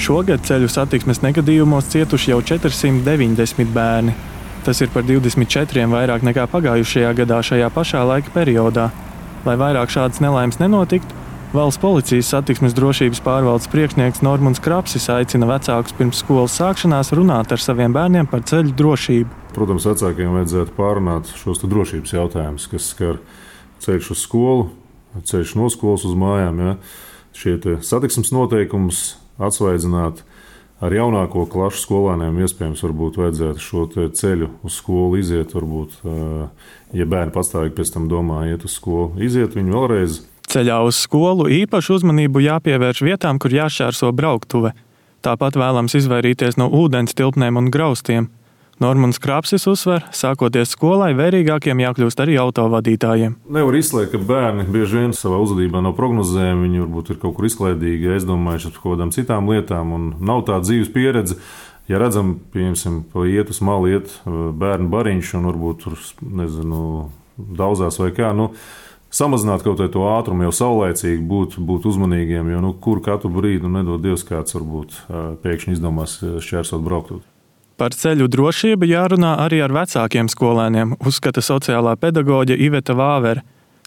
Šogad ceļu satiksmes negadījumos cietuši jau 490 bērni. Tas ir par 24 vairāk nekā pagājušajā gadā šajā pašā laika periodā. Lai vairāk šādas nelaimes nenotiktu, Valsts policijas satiksmes drošības pārvaldes priekšnieks Normunds Krapsis aicina vecākus pirms skolas sākšanās runāt ar saviem bērniem par ceļu drošību. Protams, vecākiem vajadzētu pārunāt šos drošības jautājumus, kas skar ceļš uz skolu, ceļš no skolas uz mājām. Ja? Šie satiksmes noteikumus atsvaidzināt ar jaunāko klašu skolēniem. Iespējams, varbūt vajadzētu šo ceļu uz skolu iziet. Varbūt, ja bērni pastāvīgi pēc tam domā iet uz skolu, iziet viņu vēlreiz. Ceļā uz skolu īpašu uzmanību jāpievērš vietām, kur jāšķērso brauktuve. Tāpat vēlams izvairīties no ūdens tilpnēm un graustiem. Normunds Krapsis uzsver, sākoties skolai, vērīgākiem jākļūst arī autovadītājiem. Nevar izslēgt, ka bērni bieži vien savā uzvedībā nav prognozējami. Viņi varbūt ir kaut kur izklaidīgi, aizdomājuši par kaut kādām citām lietām un nav tāda dzīves pieredze. Ja redzam, piemēram, iet uz malu, iet bērnu bariņš un varbūt tur, daudzās vai kā, samazināt kaut to ātrumu, jau saulēcīgi būt uzmanīgiem, jo kur katru brīdi, nedod Dievs, kāds varbūt pēkšņi izdomās šķērsot brauktuvi. Par ceļu drošību jārunā arī ar vecākiem skolēniem, uzskata sociālā pedagoģe Iveta Vāvere.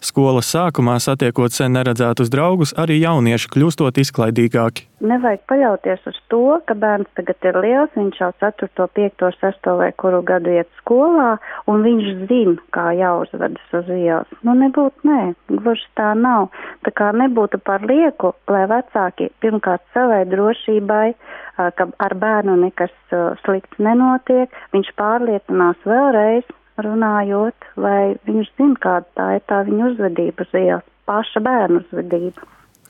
Skolas sākumā satiekot sen neredzētus draugus, arī jaunieši kļūstot izklaidīgāki. Nevajag paļauties uz to, ka bērns tagad ir liels, viņš jau 4., 5., 6. vai kuru gadu iet skolā, un viņš zina, kā jāuzvedas uz ielas. Gluži tā nav. Tā kā nebūtu par lieku, lai vecāki pirmkārt savai drošībai, ka ar bērnu nekas slikts nenotiek, viņš pārliecinās vēlreiz, runājot, lai viņš zina, kāda tā ir tā viņa uzvedība uz ielas, paša bērnu uzvedība.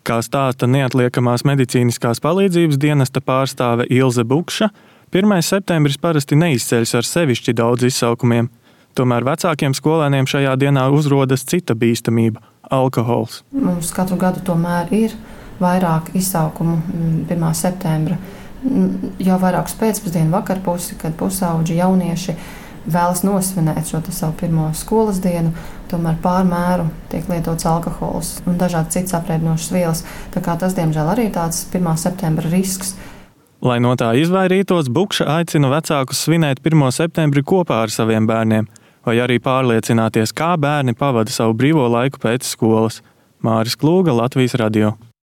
Kā stāsta neatliekamās medicīniskās palīdzības dienesta pārstāve Ilze Bukša, 1. septembris parasti neizceļas ar sevišķi daudz izsaukumiem. Tomēr vecākiem skolēniem šajā dienā uzrodas cita bīstamība – alkohols. Mums katru gadu tomēr ir vairāk izsaukumu 1. septembra. Jau vairākus pēcpusdienu vakarpusi, kad pusauģi jaunieši vēlas nosvinēt šo savu pirmo skolas dienu, tomēr pārmēru tiek lietots alkohols un dažādi cits apreibinošas vielas. Tā kā tas, diemžēl, arī tāds 1. septembra risks. Lai no tā izvairītos, Bukša aicina vecākus svinēt 1. septembri kopā ar saviem bērniem, vai arī pārliecināties, kā bērni pavada savu brīvo laiku pēc skolas. Māris Klūga, Latvijas radio.